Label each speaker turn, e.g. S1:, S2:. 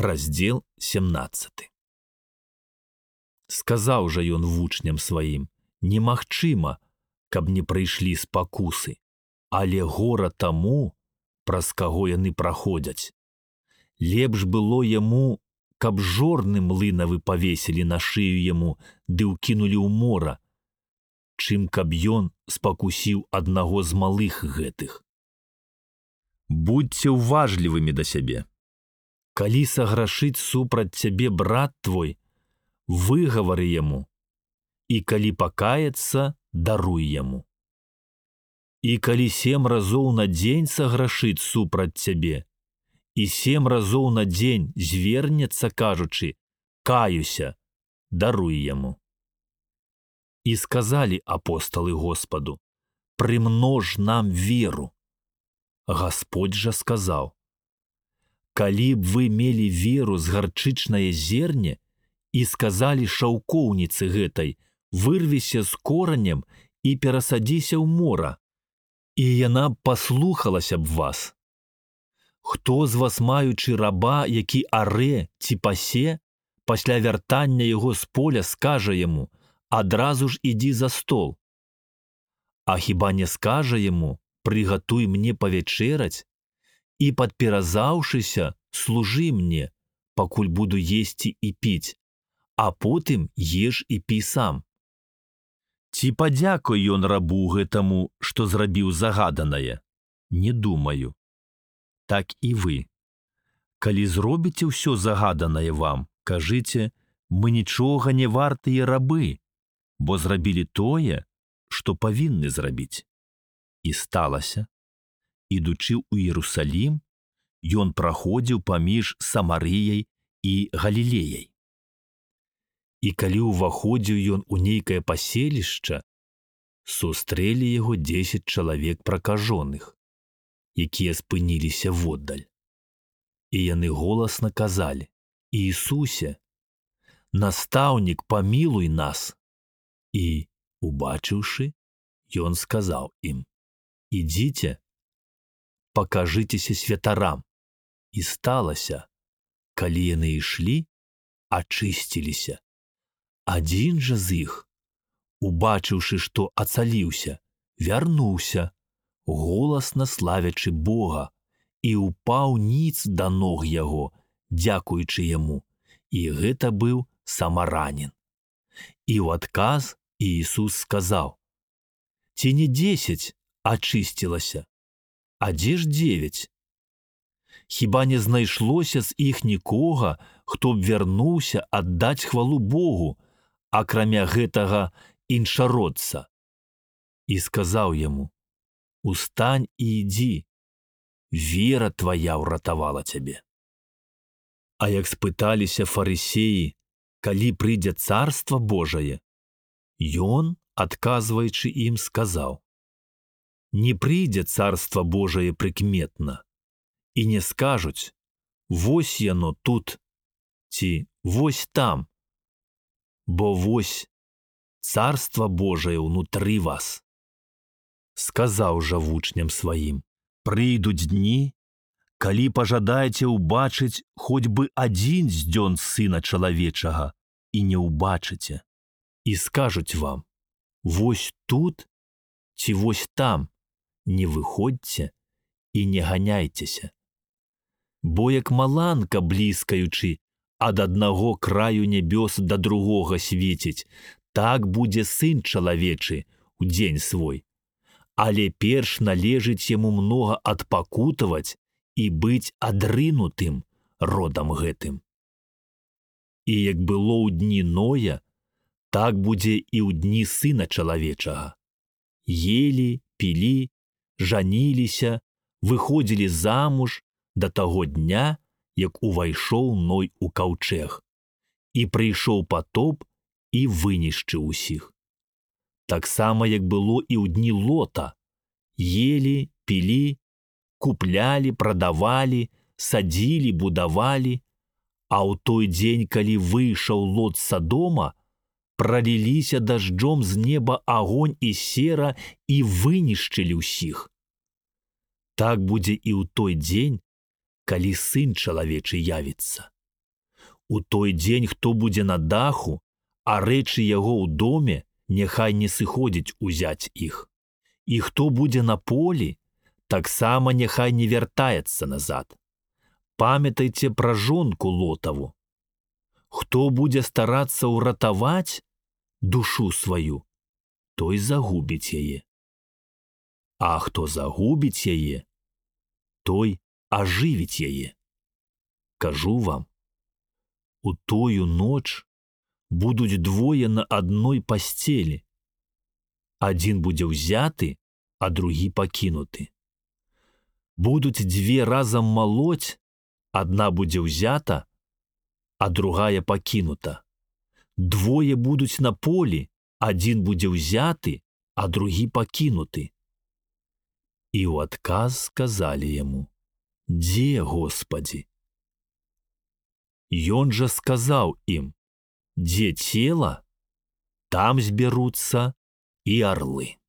S1: Раздзел 17. Сказаў жа ён вучням сваім: немагчыма, каб не прыйшлі спакусы, але гора таму, праз каго яны праходзяць. Лепш было яму, каб жорны млынавы павесілі на шыю яму ды ўкінулі ў мора, чым каб ён спакусіў аднаго з малых гэтых. Будьце ўважлівымі да сябе. Калі саграшыць супраць цябе брат твой, выгавары яму, і калі пакаецца, даруй яму. І калі 7 разоў на дзень саграшыць супраць цябе, і 7 разоў на дзень звернецца, кажучы: каюся, даруй яму. І сказалі апосталы Господу: прымнож нам веру. Гасподзь жа сказаў: калі б вы мелі веру з гарчычнае зерне і сказалі шаўкоўніцы гэтай: вырвіся з коранем і перасадзіся ў мора, і яна б паслухалася б вас. Хто з вас, маючы раба, які аре ці пасе, пасля вяртання яго з поля скажа яму: адразу ж ідзі за стол? А хіба не скажа яму: прыгатуй мне павячэраць і, падперазаўшыся, служы мне, пакуль буду есці і піць, а потым еш і пі сам? Ці падзякуй ён рабу гэтаму, што зрабіў загаданае? Не думаю. Так і вы. Калі зробіце ўсё загаданае вам, кажыце: мы нічога не вартыя рабы, бо зрабілі тое, што павінны зрабіць. І сталася, ідучы ў Іерусалім, ён праходзіў паміж Самарыяй і Галілеяй. І калі ўваходзіў ён у нейкае паселішча, сустрэлі яго 10 чалавек пракажоных, якія спыніліся воддаль. І яны голасна казалі: Іісусе, настаўнік, памілуй нас. І, убачыўшы, ён сказаў ім: ідзіце, пакажыцеся святарам. І сталася, калі яны ішлі, ачысціліся. Адзін жа з іх, убачыўшы, што ацаліўся, вярнуўся, голасна славячы Бога, і ўпаў ніц да ног яго, дзякуючы яму, і гэта быў самаранін. І ў адказ Іісус сказаў: ці не 10 ачысцілася, а дзе ж 9? Хіба не знайшлося з іх нікога, хто б вярнуўся аддаць хвалу Богу, акрамя гэтага іншародца? І сказаў яму: устань і ідзі, вера твая ўратавала цябе. А як спыталіся фарысеі, калі прыйдзе царства Божае, ён, адказваючы ім, сказаў: не прыйдзе царства Божае прыкметна, і не скажуць: вось яно тут, ці вось там, бо вось царства Божае ўнутры вас. Сказаў жа вучням сваім: прыйдуць дні, калі пажадаеце ўбачыць хоць бы адзін з дзён Сына Чалавечага, і не ўбачыце, і скажуць вам: вось тут ці вось там, не выходзьце і не ганяйцеся. Бо як маланка, бліскаючы, ад аднаго краю нябёс да другога свеціць, так будзе Сын Чалавечы ў дзень свой. Але перш належыць яму многа адпакутаваць і быць адрынутым родам гэтым. І як было ў дні Ноя, так будзе і ў дні Сына Чалавечага. Елі, пілі, жаніліся, выходзілі замуж да таго дня, як увайшоў Ной у каўчэг, і прыйшоў патоп і вынішчыў усіх. Таксама, як было і ў дні Лота: елі, пілі, куплялі, прадавалі, садзілі, будавалі, а ў той дзень, калі выйшаў Лот з Садома, праліліся дажджом з неба агонь і сера і вынішчылі ўсіх. Так будзе і ў той дзень, калі Сын Чалавечы явіцца. У той дзень, хто будзе на даху, а рэчы яго ў доме, няхай не сыходзіць узяць іх. І хто будзе на полі, таксама няхай не вяртаецца назад. Памятайце пра жонку Лотаву. Хто будзе старацца ўратаваць душу сваю, той загубіць яе. А хто загубіць яе, той ажывіць яе. Кажу вам, у тою ноч будуць двое на адной пасцелі. Адзін будзе ўзяты, а другі пакінуты. Будуць дзве разам малоць, адна будзе ўзята, а другая пакінута. Двое будуць на полі, адзін будзе ўзяты, а другі пакінуты. І ў адказ сказалі яму: «Дзе, Господі?» Ён жа сказаў ім: «Дзе цела, там збяруцца і арлы».